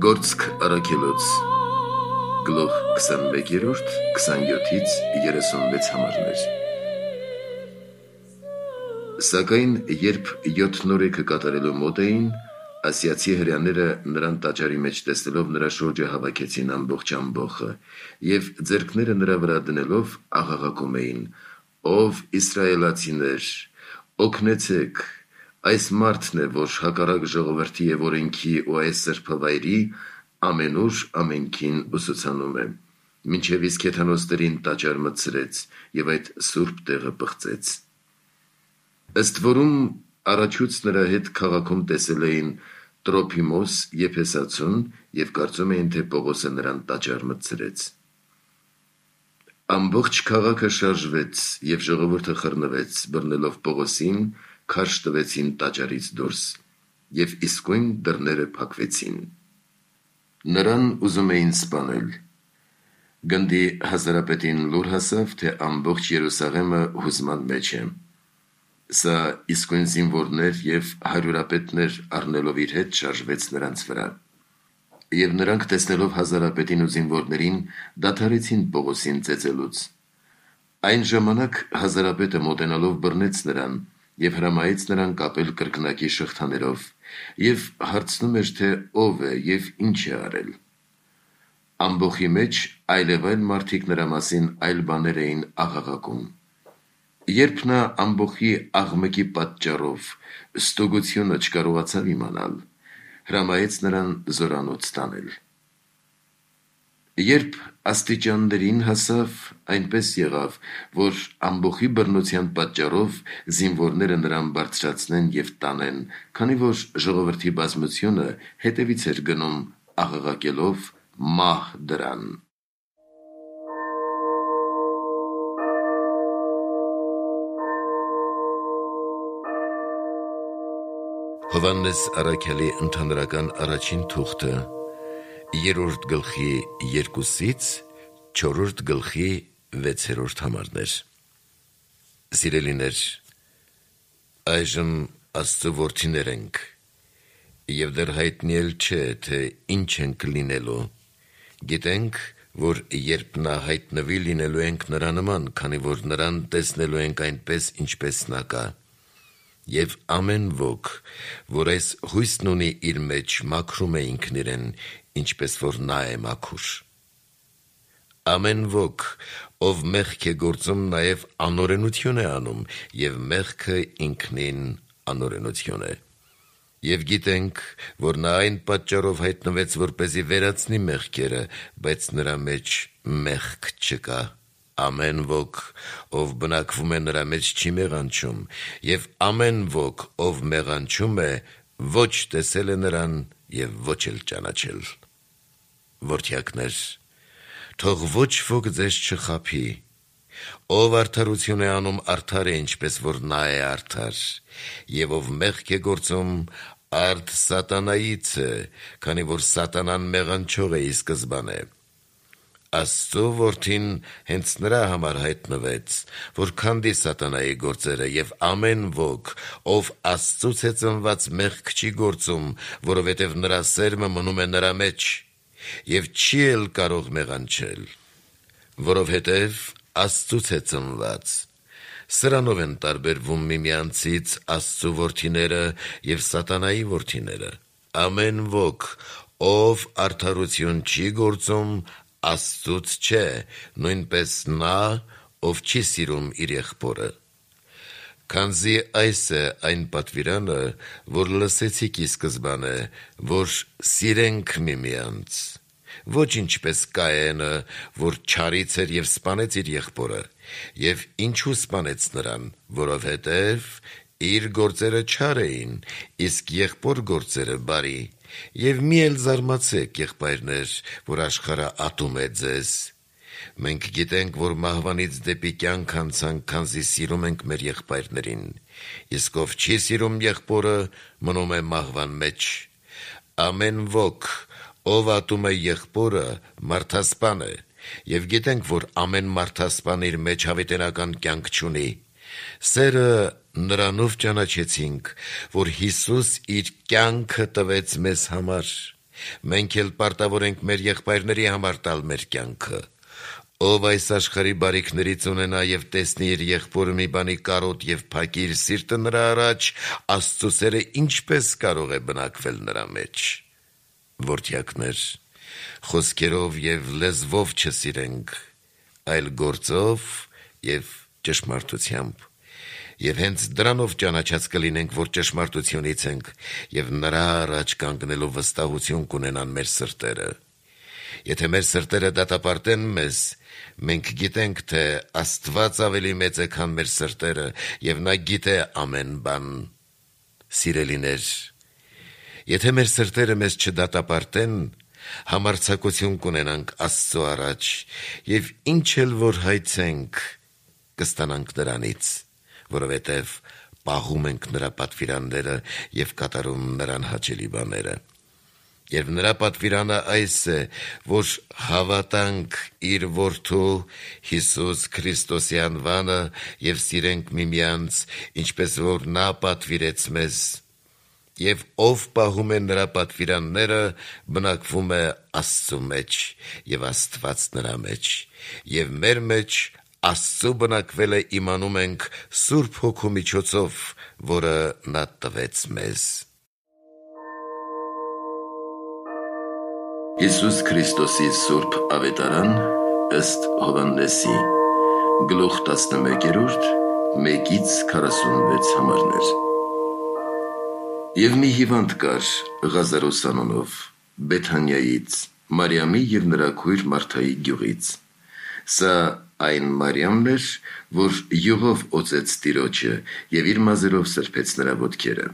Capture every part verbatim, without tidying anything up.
Գործք առաքելոց գլուխ քսանմեկերորդ քսանյոթից երեսունվեց համարներ։ Սակայն երբ յոթ նորեկը կատարելու մոտ էին, ասիացի հրեաները նրան տաճարի մեջ տեսնելով նրա շուրջը հավաքեցին ամբողջ ամբոխը և ձեռքները նրա վրա դնելով աղաղակում էին. «Ով իսրայելացիներ, օգնեցեք, այս մարդն է, որ հակառակ ժողովրդի և օրենքի ու այս սրբավայրի ամենուր ամենքին ուսուցանում է, մինչև իսկ հեթանոսներին տաճար մտցրեց և այդ սուրբ տեղը պղծեց»։ Ըստ որում առաջուց նրա հետ քաղաքում տեսել էին Տրոփիմոս Եփեսացուն և կարծում էին, թե Պողոսը նրան տաճար մտցրեց։ Ամբողջ քաղաքը շարժվեց և ժողովուրդը խռնվեց, բռնելով Պողոսին, քարշ տվեցին տաճարից դուրս և իսկույն դռները փակվեցին։ Նրան ուզում էին սպանել։ Գնդի հազարապետին լուր հասավ, թե ամբողջ Երուսաղեմը հուզման մեջ է։ Սա իսկույն զինվորներ և հարյուրապետներ առնելով իր հետ շարժվեց նրանց վրա։ Եվ նրանք տեսնելով հազարապետին ու զինվորներին, դադարեցին Պողոսին ծեծելուց։ Այն ժամանակ հազարապետը մոտենալով բռնեց նրան և հրամայեց նրան կապել կրկնակի շղթաներով և հարցնում էր, թե ով է և ինչ է արել։ Ամբոխի մեջ այլևայլ մարդիկ նրա մասին այլ բաներ էին աղաղակում։ Երբ նա ամբոխի աղմկի պատճառով ստուգությունը չկարողացավ իմանալ, հրամայեց նրան զորանոց տանել։ Երբ աստիճաններին հասավ, այնպես եղավ, որ ամբոխի բռնության պատճառով զինվորները նրան բարձրացնեն և տանեն, քանի որ ժողովրդի բազմությունը հետևից էր գնում աղաղակելով «Մահ դրան»։ Հովհաննես առաքյալի ընդհանրական առաջին թուղթը, երրորդ գլխի երկուսից չորրորդ գլխի վեցերորդ համարներ։ Սիրելիներ, այժմ Աստծո որդիներ ենք, և դեռ հայտնի էլ չէ, թե ինչ ենք լինելու։ Գիտենք, որ երբ նա հայտնվի, լինելու ենք նրա նման, քանի որ նրան տեսնելու ենք այնպես, ինչպես նա կա։ Եվ ամեն ոք, որ այս հույսն ունի իր մեջ, մաքրում է ինքն իրեն, ինչպես որ նա է մաքուր։ Ամեն ոք, ով մեղք է գործում, նաև անօրենություն է անում, և մեղքը ինքնին անօրենություն է։ Եվ գիտենք, որ նա այն պատճառով հայտնվեց, որպեսզի վերացնի մեղքերը, բայց նրա մեջ մեղք չկա։ Ամեն ոք, ով բնակվում է նրա մեջ, չի մեղանչում, և ամեն ոք, ով մեղանչում է, ոչ տեսել է նրան և ոչ էլ ճանաչել։ Որդյակներ, թող ոչ ոք ձեզ չխաբի։ Ով արդարություն է անում, արդար է, ինչպես որ նա է արդար, և ով մեղք է գործում, արդ սատանայից է, քանի որ սատանան մեղանչող է ի սկզբանե։ Աստծո որդին հենց նրա համար հայտնվեց, որ քանդի սատանայի գործերը, և ամեն ոք, ով Աստծուց է ծնված, մեղք չի գործում, որովհետև նրա սերմը մնում է նրա մեջ, և չի էլ կարող մեղանչել, որովհետև Աստծուց է ծնված։ Սրանով են տարբերվում միմյանցից Աստծու որդիները և սատանայի որդիները։ Ամեն ոք, ով արդարություն չի գործում, Աստծուց չէ, նույնպես նա, ով չի սիրում իր եղբորը։ Քանզի այս է այն պատվիրանը, որ լսեցիք ի սկզբանե, որ սիրենք միմյանց։ Ոչ ինչպես Կայենը, որ չարից էր և սպանեց իր եղբորը։ Եվ ինչու սպանեց նրան, որովհետև իր գործերը չար էին, իսկ եղբոր գործերը բարի։ Եվ մի էլ զարմացեք, եղբայրներ, որ աշխարհը ատում է ձեզ։ Մենք գիտենք, որ մահվանից դեպի կյանք անցանք, քանզի սիրում ենք մեր եղբայրներին։ Իսկ ով չի սիրում եղբորը, մնում է մահվան մեջ։ Ամեն ոք, ով ատում է եղբորը, մարդասպան է, և գիտենք, որ ամեն մարդասպան իր մեջ հավիտենական կյանք չունի։ Սերը նրանով ճանաչեցինք, որ Հիսուս իր կյանքը տվեց մեզ համար, Մենք էլ պարտավոր ենք մեր եղբայրների համար տալ մեր կյանքը։ Ով այս աշխարհի բարիքներից ունենա եւ տեսնի իր եղբորը մի բանի կարոտ եւ փակի իր սիրտը նրա առաջ, Աստծո սերը ինչպես կարող է բնակվել նրա մեջ։ Որդյակներ, խոսքերով եւ լեզվով չսիրենք, այլ գործով եւ ճշմարտությամբ։ Եվ հենց դրանով ճանաչած կլինենք, որ ճշմարտությունից ենք, եւ նրա առաջ կանգնելով վստահություն կունենան մեր սրտերը։ Եթե մեր սրտերը դատապարտեն մեզ, մենք գիտենք, թե Աստված ավելի մեծ է, քան մեր սրտերը, եւ նա գիտե ամեն բան։ Սիրելիներ, եթե մեր սրտերը մեզ չդատապարտեն, համարձակություն կունենանք Աստծո առաջ, եւ ինչ էլ որ հայցենք, կստանանք նրանից, որովհետև պահում ենք նրա պատվիրանները եւ կատարում նրան հաճելի բաները։ Եվ նրա պատվիրանը այս է, որ հավատանք իր որդու Հիսուս Քրիստոսի անվանը եւ սիրենք միմյանց, ինչպես որ նա պատվիրեց մեզ։ Եվ ով պահում է նրա պատվիրանները, բնակվում է Աստծո մեջ եւ Աստված նրա մեջ։ Եվ մեր մեջ Աստծո բնակվել է իմանում ենք Սուրբ Հոգու միջոցով, որը նա տվեց մեզ։ Հիսուս Քրիստոսի Սուրբ Ավետարան ըստ Հովհաննեսի, գլուխ տասնմեկերորդ, մեկից քառասունվեց համարներ։ Եվ մի հիվանդ կար Ղազարոս անունով, Բեթանիայից, Մարիամի և նրա քույր Մարթայի գյուղից։ Սա այն Մարիամն էր, որ յուղով օծեց Տիրոջը և իր մազերով սրբեց նրա ոտքերը։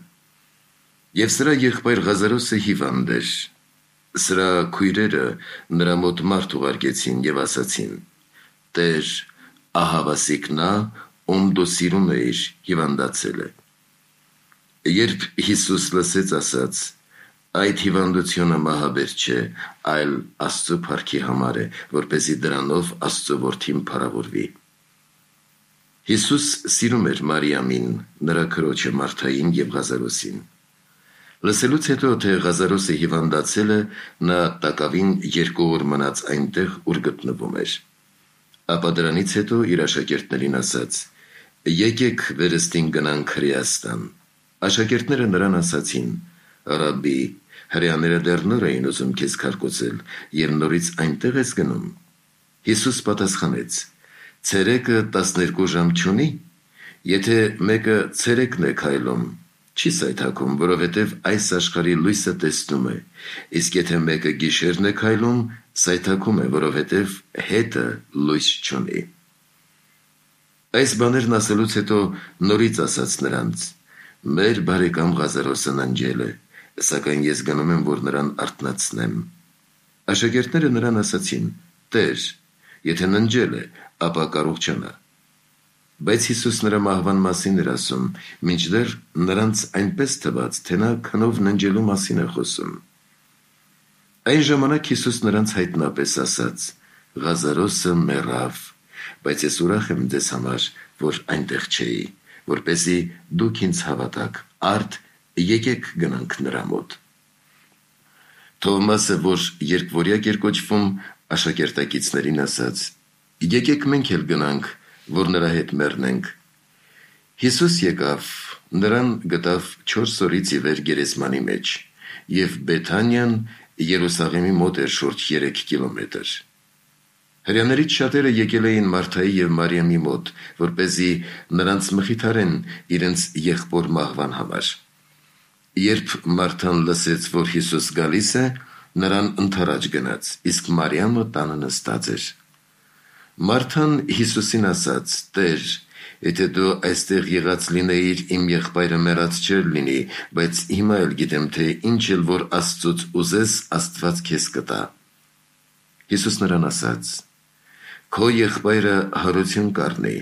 Եվ սրա եղբայր Ղազարոսը հիվանդ էր։ Սրա քույրերը նրա մոտ մարդ ուղարկեցին և ասացին. «Տեր, ահավասիկ նա, ում դու սիրում էիր, հիվանդացել է»։ Երբ Հիսուս լսեց, ասաց. «Այդ հիվանդությունը մահաբեր չէ, այլ Աստծո փառքի համար է, որպեսզի դրանով Աստծո որդին փառավորվի»։ Հիսուս սիրում էր Մարիամին, նրա քրոջը Մարթային և Ղազարոսին։ Լսելուց հետո, թե Ղազարոսը հիվանդացել է, նա տակավին երկու օր մնաց այնտեղ, ուր գտնվում էր։ Ապա դրանից հետո իր աշակերտներին ասաց. «Եկեք վերստին գնանք Հրեաստան»։ Աշակերտները նրան ասացին. «Ռաբբի, հրեաները դեռ նոր էին ուզում քեզ քարկոծել, և նորից այնտեղ ես գնում»։ Հիսուս պատասխանեց. «Ցերեկը տասներկու ժամ չունի՞։ Եթե մեկը ցերեկն է քայլում, չի սայթաքում, որովհետև այս աշխարհի լույսը տեսնում է, իսկ եթե մեկը գիշերն է քայլում, սայթաքում է, որովհետև հետը լույս չունի»։ Այս բաներն ասելուց հետո նորից ասաց նրանց. «Մեր բարեկամ Ղազարոսը ննջել է, սակայն ես գնում եմ, որ նրան արթնացնեմ»։ Աշակերտները նրան ասացին. «Տեր, եթե ննջել է, ապա կարողջանա»։ Բայց Հիսուս նրա մահվան մասին էր ասում, մինչդեռ նրանց այնպես թվաց, թե նա քնով ննջելու մասին է խոսում։ Այն ժամանակ Հիսուս նրանց հայտնապես ասաց. «Ղազարոսը մեռավ, բայց ես ուրախ եմ ձեզ համար, որ այնտեղ չէի, որպեսզի դուք ինձ հավատաք, արդ եկեք գնանք նրա մոտ»։ Թովմասը, որ Երկվորյակ էր կոչվում, աշակերտակիցներին ասաց. «Եկեք մենք էլ գնանք, որ նրա հետ մեռնենք»։ Հիսուս եկավ, նրան գտավ չորս օրից ի վեր գերեզմանի մեջ, և Բեթանիան Երուսաղեմի մոտ էր շուրջ երեք կիլոմետր։ Հրեաներից շատերը եկել էին Մարթայի և Մարիամի մոտ, որպեսզի նրանց մխիթարեն իրենց եղբոր մահվան համար։ Երբ Մարթան լսեց, որ Հիսուս գալիս է, նրան ընդառաջ գնաց, իսկ Մարիամը տանը նստած էր։ Մարթան Հիսուսին ասաց. «Տեր, եթե դու այստեղ եղած լինեիր, իմ եղբայրը մեռած չէր լինի, բայց հիմա էլ գիտեմ, թե ինչ էլ որ Աստծուց ուզես, Աստված քեզ կտա»։ Հիսուս նրան ասաց. «Քո եղբայրը հարություն կառնի»։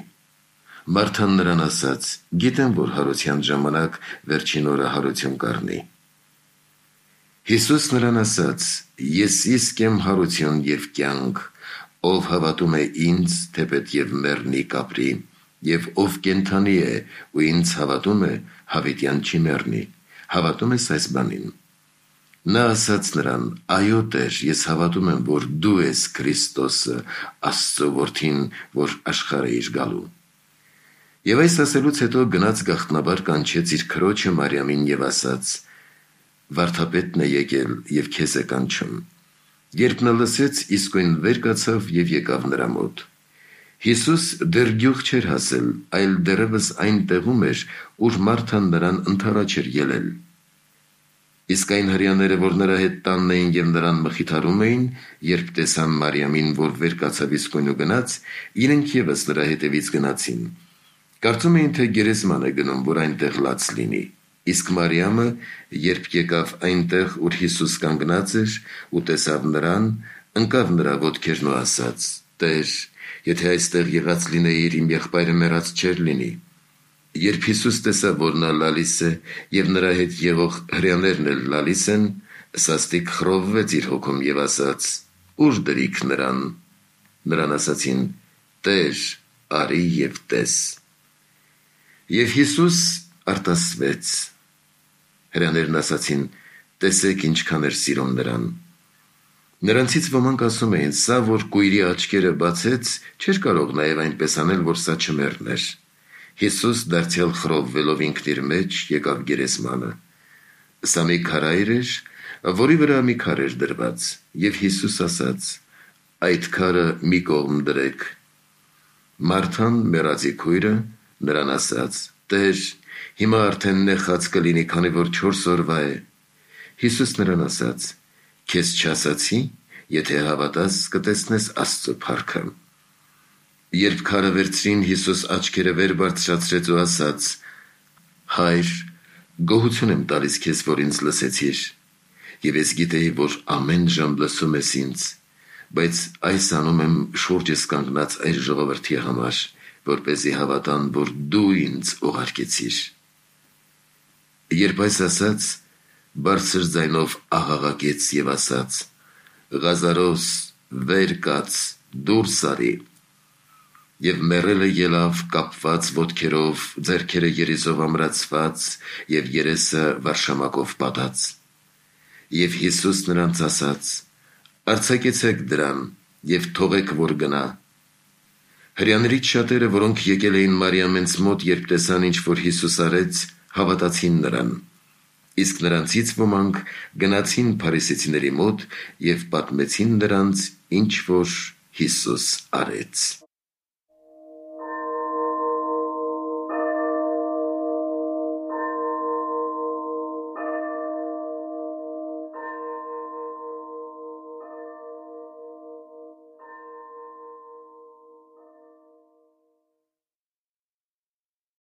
Մարթան նրան ասաց. «Գիտեմ, որ հարության ժամանակ վերջին օրը հարություն կառնի»։ Հիսուս նրան ասաց. «Ես իսկ եմ հարություն և կյանք, ով հավատում է ինձ, թեպետ և մեռնի կապրի, և ով կենդանի է ու ինձ հավատում է, հավիտյան չի մեռնի։ Հավատում ես այս բանին»։ Նա ասաց նրան. «Այո, Տեր, ես հավատում եմ, որ դու ես Քրիստոսը, Աստծո որդին, որ աշխարհ էիր գալու»։ Եվ այս ասելուց հետո գնաց գաղտնաբար կանչեց իր քրոջը Մարիամին եւ ասաց. «Վարդապետն է եկել եւ քեզ է կանչում»։ Երբ նա լսեց, իսկույն վեր կացավ եւ եկավ նրա մոտ։ Հիսուս դեռ գյուղ չէր հասել, այլ դեռևս այն տեղում էր, ուր Մարթան նրան ընդառաջ էր ելել։ Իսկ այն հրեաները, որ նրա հետ տանն էին եւ նրան մխիթարում էին, երբ տեսան Մարիամին, որ վեր կացավ իսկույն ու գնաց, իրենք եւս նրա հետևից գնացին։ Կարծում էին, թե գերեզման է գնում, որ այնտեղ լաց լինի։ Իսկ Մարիամը, երբ եկավ այնտեղ, ուր Հիսուս կանգնած էր, ու տեսավ նրան, ընկավ նրա ոտքերն ու ասաց. «Տեր, եթե այստեղ եղած լինեիր, իմ եղբայրը մեռած չէր լինի»։ Երբ Հիսուս տեսավ, որ նա լալիս է, եւ նրա հետ եղող հրեաներն էլ լալիս են, սաստիկ խռովվեց իր հոգում եւ ասաց. «Ուր դրիք նրան»։ Նրան ասացին. «Տեր, արի եւ տես»։ Եվ Հիսուս արտասվեց։ Հրեաներն ասացին. «Տեսեք ինչքան էր սիրում նրան»։ Նրանցից ոմանք ասում էին. «Սա, որ կույրի աչքերը բացեց, չէր կարող նաեւ այնպես անել, որ սա չմեռներ»։ Հիսուս դարձյալ խռովվելով ինքն իր մեջ եկավ գերեզմանը։ Սա մի քարայր էր, որի վրա մի քար էր դրված, եւ Հիսուս ասաց. «Այդ քարը մի կողմ դրեք»։ Մարթան, մեռածի քույրը, նրան ասաց. «Տեր, հիմա արդեն նեխած կլինի, քանի որ չորս օրվա է»։ Հիսուս նրան ասաց. «Քեզ չասացի, եթե հավատաս, կտեսնես Աստծո փառքը»։ Երբ քարը վերցրին, Հիսուս աչքերը վեր բարձրացրեց ու ասաց. «Հայր, գոհություն եմ տալիս քեզ, որ ինձ լսեցիր, եւ ես գիտեի, որ ամեն ժամ լսում ես ինձ, բայց այս անում եմ շուրջս կանգնած այս ժողովրդի համար, որպեսզի հավատան, որ դու ինձ ուղարկեցիր»։ Երբ այս ասաց, բարձր ձայնով աղաղակեց եւ ասաց. «Ղազարոս, վեր կաց, դուրս արի»։ Եվ մեռելը ելավ կապված ոտքերով, ձեռքերը երիզով ամրացված եւ երեսը վարշամակով պատած։ Եվ Հիսուս նրանց ասաց. «Արձակեցեք դրան եւ թողեք, որ գնա»։ Հրեաներից շատերը, որոնք եկել էին Մարիամենց մոտ, երբ տեսան, ինչ որ Հիսուս արեց, հավատացին նրան։ Իսկ նրանցից ոմանք գնացին փարիսեցիների մոտ եւ պատմեցին նրանց, ինչ որ Հիսուս արեց։